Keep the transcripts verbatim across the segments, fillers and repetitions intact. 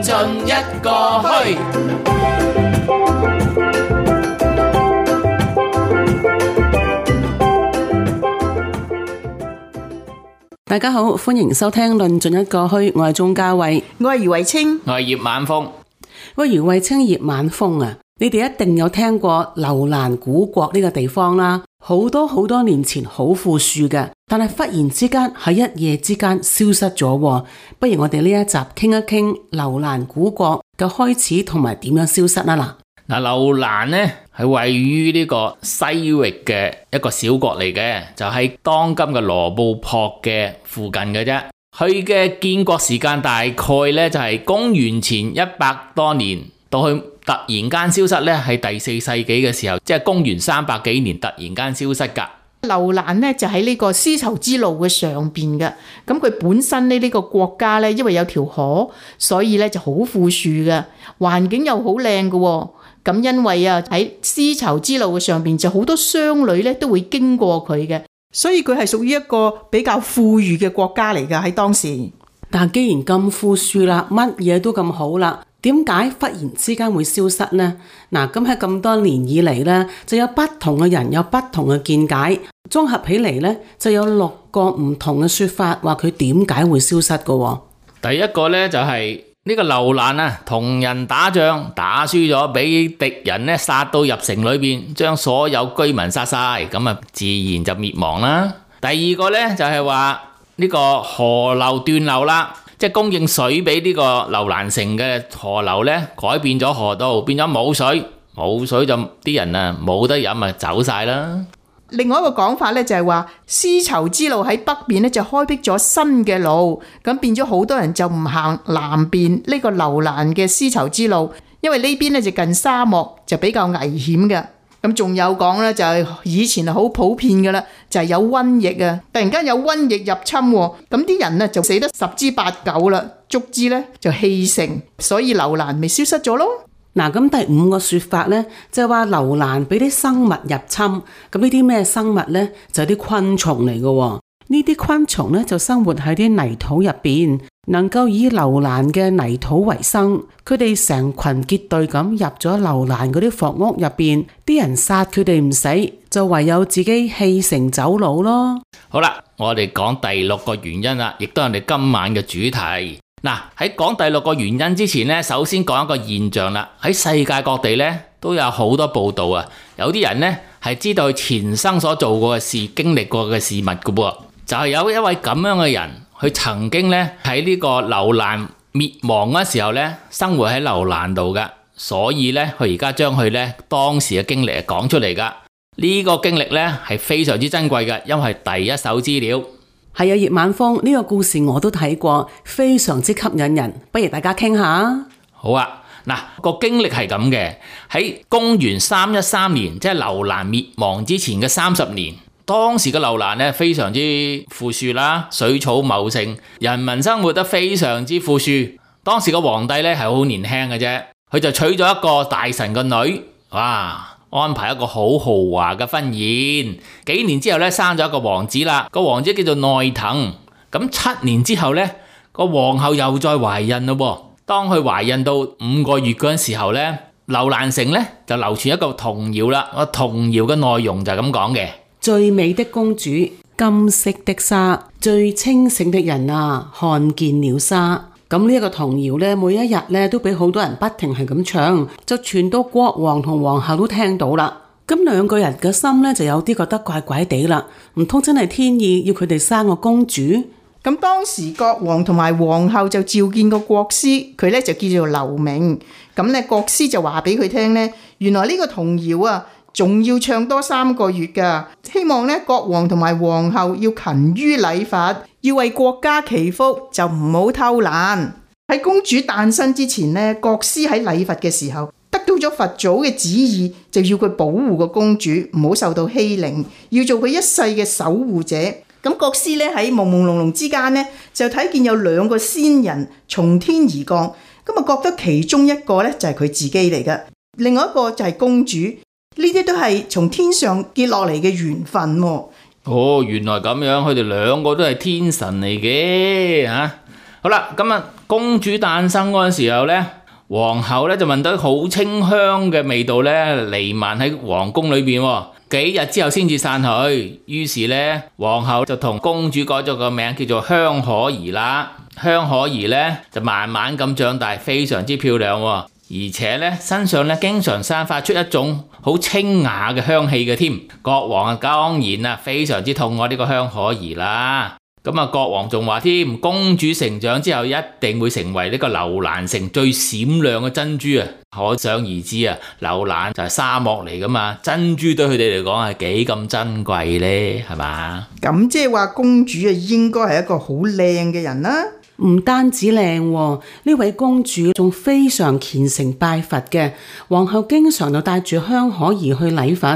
盡一個墟。大家好，歡迎收聽論盡一個墟，我係鍾嘉慧，我係余慧清，我係葉晚風。喂，余慧清、葉晚風啊，你哋一定有聽過樓蘭古國呢個地方啦，好多好多年前好富庶嘅，但係忽然之間喺一夜之間消失咗。不如我哋呢一集傾一傾樓蘭古國嘅開始同埋點樣消失啊嗱。嗱，樓蘭呢係位於呢個西域嘅一個小國嚟嘅，就喺當今嘅羅布泊嘅附近嘅啫。佢嘅建國時間大概呢就係公元前一百多年，到佢突然間消失呢係第四世紀嘅時候，即係公元三百幾年突然間消失噶。樓蘭呢就喺呢個絲綢之路嘅上邊嘅，咁佢本身呢呢個國家呢，因為有條河，所以呢就好富庶嘅，環境又好靚嘅。咁因為啊喺絲綢之路嘅上邊就好多商旅咧都會經過佢嘅，所以佢係屬於一個比較富裕嘅國家嚟噶喺當時。但既然咁富庶啦，乜嘢都咁好啦，點解忽然之間會消失呢？嗱，咁喺咁多年以嚟呢，就有不同嘅人有不同嘅見解，綜合起嚟呢，就有六個唔同嘅說法，話佢點解會消失嘅。第一個呢，就係、是。呢個樓蘭啊，同人打仗打輸咗，俾敵人咧殺到入城裏邊，將所有居民殺晒，咁啊自然就滅亡啦。第二個咧就係話呢個河流斷流啦，即係供應水俾呢個樓蘭城嘅河流咧改變咗河道，變咗冇水，冇水就啲人啊冇得飲啊走晒啦。另外一個講法咧就係話絲綢之路喺北邊咧就開闢咗新嘅路，咁變咗好多人就唔行南邊呢個樓蘭嘅絲綢之路，因為呢邊咧就近沙漠，就比較危險嘅。咁仲有講咧就係以前係好普遍嘅啦，就係有瘟疫啊，突然間有瘟疫入侵，咁啲人啊就死得十之八九啦，足之咧就棄城，所以樓蘭咪消失咗咯。嗱，咁第五個說法咧，就係話樓蘭俾啲生物入侵，咁呢啲咩生物咧？就係啲昆蟲嚟嘅。呢啲昆蟲咧就生活喺啲泥土入邊，能夠以樓蘭嘅泥土為生。佢哋成群結隊咁入咗樓蘭嗰啲房屋入邊，啲人殺佢哋唔死，就唯有自己棄城走佬咯。好啦，我哋講第六個原因啦，亦都係我哋今晚嘅主題。嗱，喺講第六個原因之前呢，首先講一個現象啦。喺世界各地呢，都有好多報道啊。有啲人呢，係知道佢前生所做過嘅事、經歷過嘅事物嘅噃。就係有一位咁樣嘅人，佢曾經呢，喺呢個樓蘭滅亡嗰時候呢，生活喺樓蘭度噶。所以呢，佢而家將佢呢當時嘅經歷講出嚟噶。呢個經歷呢，係非常之珍貴嘅，因為係第一手資料。係啊，葉晚風，呢個故事我都睇過，非常之吸引人，不如大家傾下。好啊，嗱，個經歷係咁嘅，喺公元三一三年，即係樓蘭滅亡之前嘅三十年，當時嘅樓蘭呢非常之富庶啦，水草茂盛，人民生活得非常之富庶。當時個皇帝呢係好年輕嘅啫，佢就娶咗一個大臣嘅女，哇！安排一個好豪華嘅婚宴，幾年之後咧生咗一個王子啦，個王子叫做內藤。咁七年之後咧，個皇后又再懷孕咯。當佢懷孕到五個月嗰陣時候咧，樓蘭城咧就流傳一個童謠啦。個童謠嘅內容就係咁講嘅：最美的公主，金色的紗，最清醒的人啊，看見了紗。咁呢一個童謠咧，每一日咧都俾好多人不停係咁唱，就傳到國王同皇后都聽到啦。咁兩個人嘅心咧就有啲覺得怪怪地啦，唔通真係天意要佢哋生個公主？咁當時國王同埋皇后就召見個國師，佢咧就叫做劉明。咁咧國師就話俾佢聽咧，原來呢個童謠啊，仲要唱多三個月噶，希望咧國王同埋皇后要勤於禮法，要為國家祈福，就唔好偷懶。喺公主誕生之前咧，國師喺禮佛嘅時候得到咗佛祖嘅旨意，就要佢保護個公主唔好受到欺凌，要做佢一世嘅守護者。咁國師咧喺朦朦朧朧之間咧，就睇見有兩個仙人從天而降，咁啊覺得其中一個咧就係佢自己嚟嘅，另外一個就係公主。呢啲都係從天上跌落嚟嘅緣分喎。哦，原來咁樣，佢哋兩個都係天神嚟嘅吓。好啦，咁啊，公主誕生嗰陣時候呢，皇后咧就聞到好清香嘅味道咧彌漫喺皇宮裏邊，幾日之後先至散去。於是咧，皇后就同公主改咗個名叫做香可兒啦。香可兒咧就慢慢咁長大，非常之漂亮，而且咧身上咧經常散發出一種好清雅嘅香氣嘅添。國王啊當然啊非常之痛愛呢個香可兒啦。咁啊，國王仲話添，公主成長之後一定會成為呢個樓蘭城最閃亮嘅珍珠啊！可想而知啊，樓蘭就係沙漠嚟噶嘛，珍珠對佢哋嚟講係幾咁珍貴呢？係嘛？咁即係話公主啊，應該係一個好靚嘅人啦。唔單止靚喎，呢位公主仲非常虔誠拜佛嘅。皇后經常就帶住香可兒去禮佛，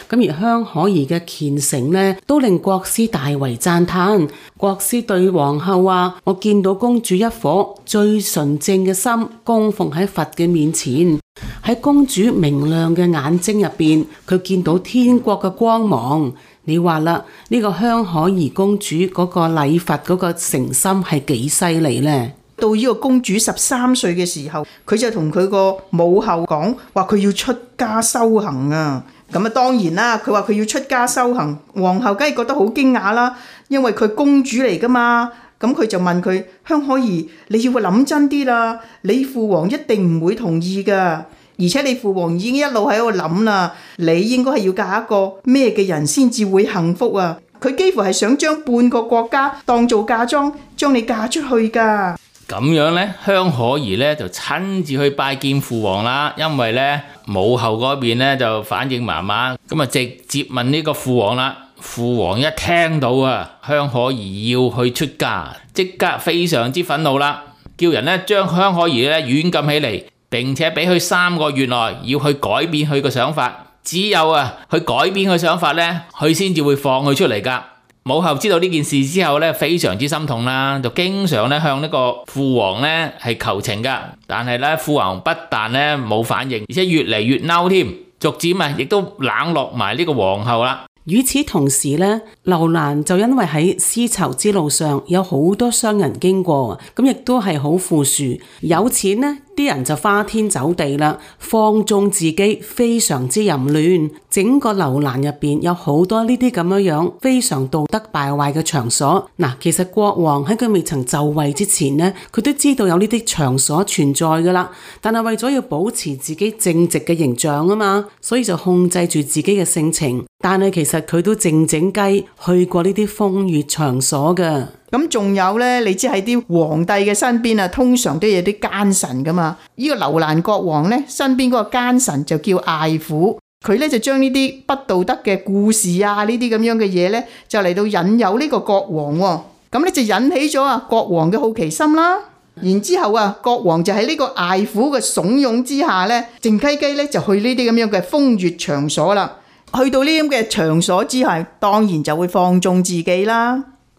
咁而香可兒嘅虔誠呢，都令國師大為讚嘆。國師對皇后話：我見到公主一顆最純正嘅心供奉喺佛嘅面前，喺公主明亮嘅眼睛入邊，佢見到天國嘅光芒。你話啦，呢個香可兒公主嗰個禮佛嗰個誠心係幾犀利呢？到呢個公主十三歲嘅時候，佢就同佢個母后講話，佢要出家修行啊！咁啊，當然啦，佢話佢要出家修行，皇后梗係覺得好驚訝啦，因為佢公主嚟噶嘛。咁佢就問佢：香可兒，你要諗真啲啦，你父皇一定唔會同意噶。而且你父皇已經一路喺度諗啦，你應該係要嫁一個咩嘅人先至會幸福啊！佢幾乎係想將半個國家當做嫁妝，將你嫁出去噶。咁樣呢，香可兒呢就親自去拜見父皇啦，因為呢母后嗰邊呢就反應麻麻，咁啊直接問呢個父皇啦。父皇一聽到啊香可兒要去出家，即刻非常之憤怒啦，叫人呢將香可兒呢軟禁起嚟。並且俾佢三個月內要去改變佢個想法，只有啊去改變佢想法呢，佢先至會放佢出嚟噶。母后知道呢件事之後呢，非常之心痛啦，就經常咧向呢個父皇呢係求情噶。但係呢，父皇不但呢冇反應，而且越嚟越嬲添，逐漸啊亦都冷落埋呢個皇后啦。與此同時呢，樓蘭就因為喺絲綢之路上有好多商人經過，咁亦都係好富庶，有錢呢啲人就花天酒地啦，放縱自己，非常之淫亂。整個樓蘭入邊有好多呢啲咁樣樣非常道德敗壞嘅場所。嗱，其實國王喺佢未曾就位之前呢，佢都知道有呢啲場所存在噶啦，但係為咗要保持自己正直嘅形象啊嘛，所以就控制住自己嘅性情。但係其實佢都靜靜雞去過呢啲風月場所噶。咁仲有呢，你知喺啲皇帝嘅身邊啊，通常都有啲奸臣噶嘛。呢、這個樓蘭國王呢，身邊嗰個奸臣就叫艾虎，佢呢就將呢啲不道德嘅故事啊，呢啲咁樣嘅嘢呢，就嚟到引誘呢個國王喎。咁呢就引起咗啊國王嘅好奇心啦。然之後啊，國王就喺呢個艾虎嘅慫恿之下呢，靜雞雞呢就去呢啲咁樣嘅風月場所啦。去到呢啲咁嘅場所之後，當然就會放縱自己啦。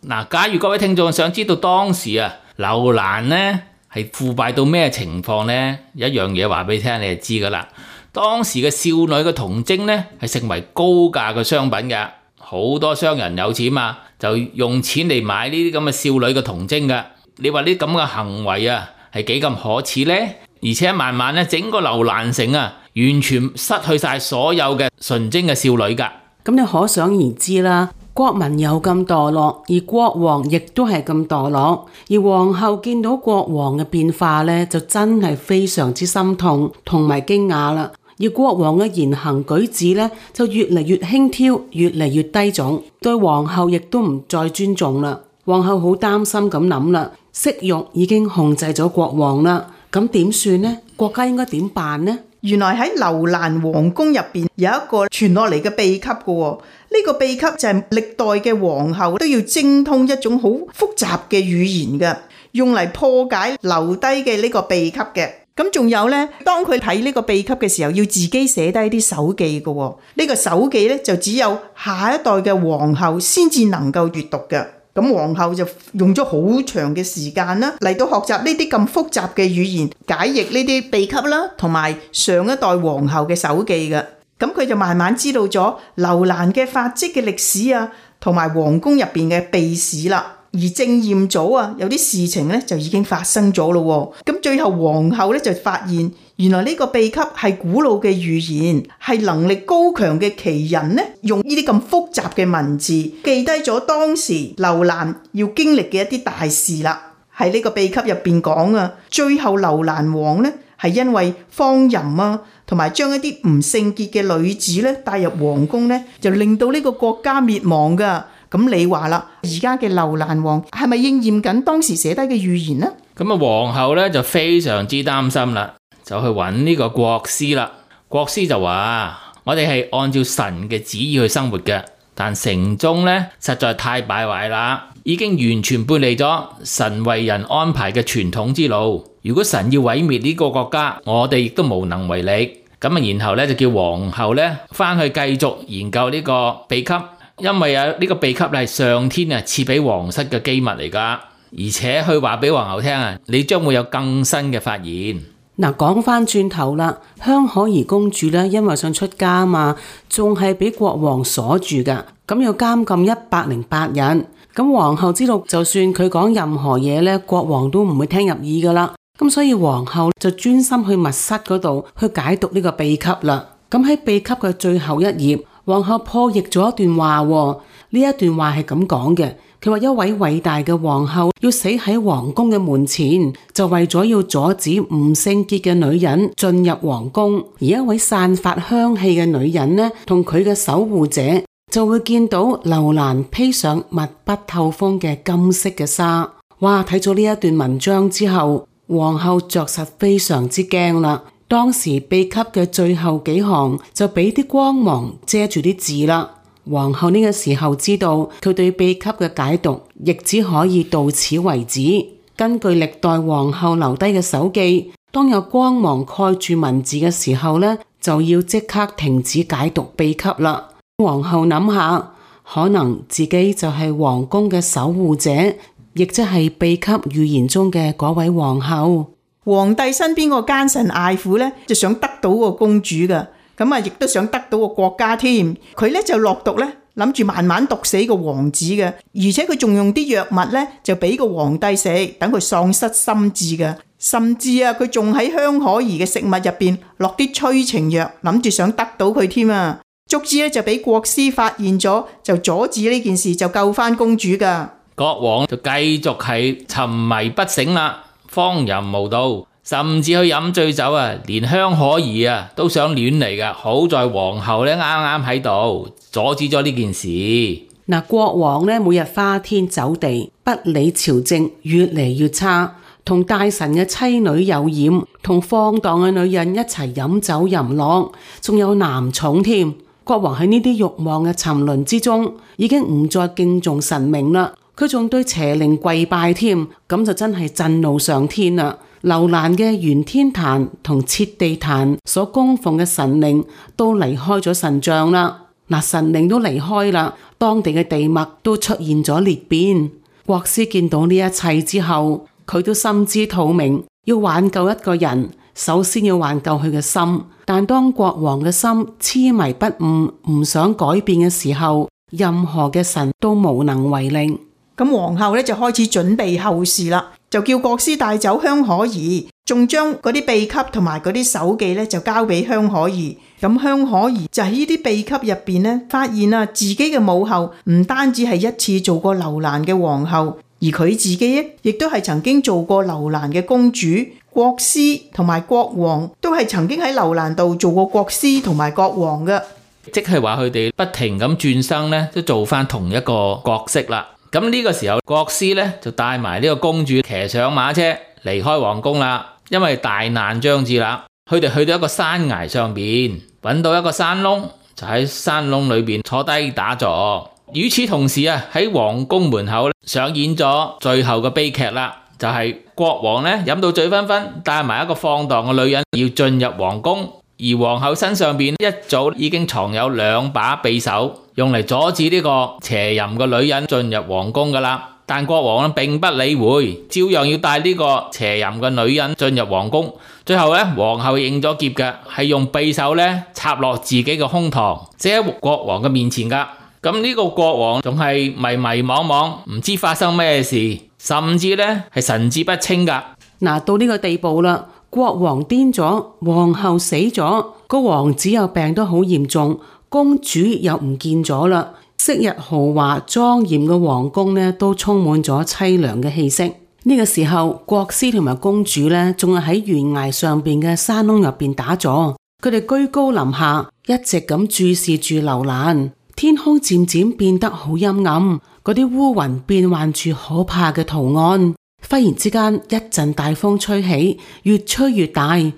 嗱，假如各位聽眾想知道當時啊樓蘭呢係腐敗到咩情況呢？一樣嘢話俾你聽，你就知噶啦。當時嘅少女嘅童貞呢係成為高價嘅商品嘅，好多商人有錢嘛，就用錢嚟買呢啲咁嘅少女嘅童貞嘅。你話呢咁嘅行為啊係幾咁可恥呢？而且慢慢咧整個樓蘭城啊完全失去晒所有嘅純貞嘅少女噶。咁你可想而知啦。國民又咁墮落，而國王亦都係咁墮落，而皇后見到國王嘅變化呢，就真係非常之心痛同埋驚訝啦。而國王嘅言行舉止呢，就越嚟越輕佻，越嚟越低俗，對皇后亦都唔再尊重啦。皇后好擔心咁諗啦，色欲已經控制咗國王啦，咁點算呢？國家應該點辦呢？原來喺樓蘭皇宮入邊有一個傳落嚟嘅秘笈嘅喎，呢個秘笈就係歷代嘅皇后都要精通一種好複雜嘅語言嘅，用嚟破解留低嘅呢個秘笈嘅。咁仲有呢，當佢睇呢個秘笈嘅時候，要自己寫低啲手記嘅喎，呢個手記呢，就只有下一代嘅皇后先至能夠閱讀嘅。咁皇后就用咗好長嘅時間啦，嚟到學習呢啲咁複雜嘅語言，解譯呢啲秘笈啦，同埋上一代皇后嘅手記嘅。咁佢就慢慢知道咗樓蘭嘅發跡嘅歷史啊，同埋皇宮入邊嘅秘史啦。而正驗組啊，有啲事情咧就已經發生咗咯。咁最後皇后咧就發現，原來呢個秘笈係古老嘅預言，係能力高強嘅奇人呢，用呢啲咁複雜嘅文字記低咗當時樓蘭要經歷嘅一啲大事啦。喺呢個秘笈入邊講啊，最後樓蘭王呢係因為荒淫啊，同埋將一啲唔聖潔嘅女子咧帶入皇宮咧，就令到呢個國家滅亡噶。咁你話啦，而家嘅樓蘭王係咪應驗緊當時寫低嘅預言呢？咁啊，皇后咧就非常之擔心啦，就去揾呢個國師啦。國師就話：我哋係按照神嘅旨意去生活嘅，但城中咧實在太敗壞啦，已經完全背離咗神為人安排嘅傳統之路。如果神要毀滅呢個國家，我哋亦都無能為力。咁啊，然後咧就叫皇后咧翻去繼續研究呢個秘笈。因為啊，呢個秘笈係上天啊賜俾皇室嘅機密嚟噶，而且佢話俾皇后聽啊，你將會有更新嘅發現。嗱，講翻轉頭啦，香可兒公主咧，因為想出家啊嘛，仲係俾國王鎖住噶，咁要監禁一百零八日。咁皇后知道，就算佢講任何嘢咧，國王都唔會聽入耳噶啦。咁所以皇后就專心去密室嗰度去解讀呢個秘笈啦。咁喺秘笈嘅最後一頁，皇后破譯咗一段話，呢一段話係咁講嘅。佢話一位偉大嘅皇后要死喺皇宮嘅門前，就為咗要阻止唔聖潔嘅女人進入皇宮。而一位散發香氣嘅女人呢，同佢嘅守護者就會見到樓蘭披上密不透風嘅金色嘅紗。哇！睇咗呢一段文章之後，皇后着實非常之驚啦。當時秘笈嘅最後幾行就俾啲光芒遮住啲字啦。皇后呢個時候知道佢對秘笈嘅解讀亦只可以到此為止。根據歷代皇后留低嘅手記，當有光芒蓋住文字嘅時候呢，就要即刻停止解讀秘笈啦。皇后諗下，可能自己就係皇宮嘅守護者，亦即係秘笈預言中嘅嗰位皇后。皇帝身邊個奸臣艾婦咧，就想得到個公主噶，咁啊，亦都想得到個國家添。佢咧就落毒咧，諗住慢慢毒死個王子嘅，而且佢仲用啲藥物咧，就俾個皇帝食，等佢喪失心智嘅。甚至啊，佢仲喺香可兒嘅食物入邊落啲催情藥，諗住想得到佢添啊。卒之咧就俾國師發現咗，就阻止呢件事，就救翻公主噶。國王就繼續係沉迷不醒啦。荒淫無道，甚至去飲醉酒啊！連香可兒啊都想亂嚟噶。好在皇后咧啱啱喺度阻止咗呢件事。嗱，國王咧每日花天酒地，不理朝政，越嚟越差，同大臣嘅妻女有染，同放蕩嘅女人一齊飲酒淫樂，仲有男寵添。國王喺呢啲慾望嘅沉淪之中，已經唔再敬重神明啦。佢仲對邪靈跪拜添，咁就真係震怒上天啦！樓蘭嘅玄天壇同設地壇所供奉嘅神靈都離開咗神像啦。嗱，神靈都離開啦，當地嘅地脈都出現咗裂變。國師見到呢一切之後，佢都心知肚明，要挽救一個人，首先要挽救佢嘅心。但當國王嘅心痴迷不悟，唔想改變嘅時候，任何嘅神都無能為力。咁皇后咧就開始準備後事啦，就叫國師帶走香可兒，仲將嗰啲秘笈同埋嗰啲手記咧就交俾香可兒。咁香可兒就喺呢啲秘笈入邊咧，發現啊自己嘅母后唔單止係一次做過樓蘭嘅皇后，而佢自己亦都係曾經做過樓蘭嘅公主。國師同埋國王都係曾經喺樓蘭度做過國師同埋國王嘅，即係話佢哋不停咁轉生咧，都做翻同一個角色啦。咁呢個時候，國師咧就帶埋呢個公主騎上馬車離開皇宮啦，因為大難將至啦。佢哋去到一個山崖上邊，揾到一個山窿，就喺山窿裏邊坐低打坐。與此同時啊，喺皇宮門口上演咗最後嘅悲劇啦，就係、是、國王咧飲到醉醺醺，帶埋一個放蕩嘅女人要進入皇宮，而皇后身上邊一早已經藏有兩把匕首，用嚟阻止呢個邪淫嘅女人進入皇宮噶啦。但國王並不理會，照樣要帶呢個邪淫嘅女人進入皇宮。最後咧，皇后應咗劫嘅，係用匕首咧插落自己嘅胸膛，即喺國王嘅面前噶。咁呢個國王仲係迷迷惘惘，唔知發生咩事，甚至呢係神志不清噶。嗱，到呢個地步啦，國王癲咗，皇后死咗，個王子又病得好嚴重，公主又唔見咗啦。昔日豪華莊嚴嘅皇宮呢，都充滿咗淒涼嘅氣息。呢個時候，國師同埋公主呢，仲係喺懸崖上邊嘅山窿入邊打坐，佢哋居高臨下，一直咁注視住樓蘭。天空漸漸變得好陰暗，嗰啲烏雲變幻住可怕嘅圖案。忽然之間，一陣大風吹起，越吹越大。喺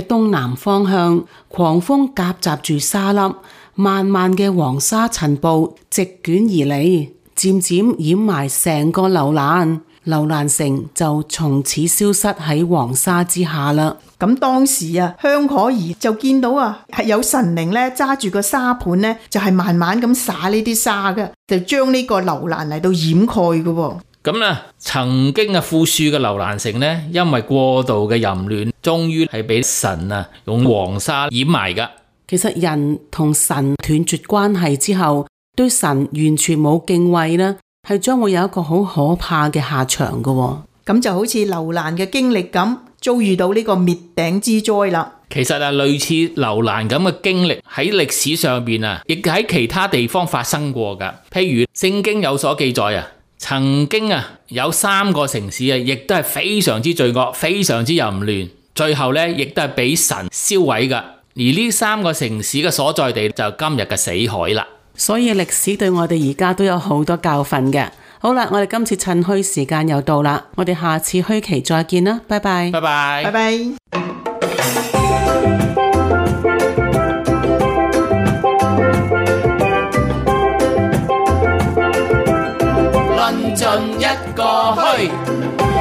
東南方向，狂風夾雜住沙粒，漫漫嘅黃沙塵暴席捲而嚟，漸漸掩埋成個樓蘭。樓蘭城就從此消失喺黃沙之下啦。咁當時啊，香可兒就見到啊，係有神靈咧揸住個沙盤咧，就係慢慢咁灑呢啲沙嘅，就將呢個樓蘭嚟到掩蓋嘅。咁啊，曾經啊富庶嘅樓蘭城呢，因為過度嘅淫亂，終於係俾神啊用黃沙掩埋噶。其實人同神斷絕關係之後，對神完全冇敬畏啦，係將會有一個好可怕嘅下場嘅。咁就好似樓蘭嘅經歷咁，遭遇到呢個滅頂之災啦。其實啊，類似樓蘭咁嘅經歷喺歷史上邊啊，亦喺其他地方發生過噶。譬如聖經有所記載啊，曾經啊有三個城市啊，亦都係非常之罪惡、非常之淫亂，最後咧亦都係俾神燒毀噶。而呢三個城市嘅所在地就係今日嘅死海啦。所以歷史對我哋而家都有好多教訓嘅。好啦，我哋今次趁墟時間又到啦，我哋下次墟期再見啦，拜拜。拜拜。拜拜。論盡一個墟。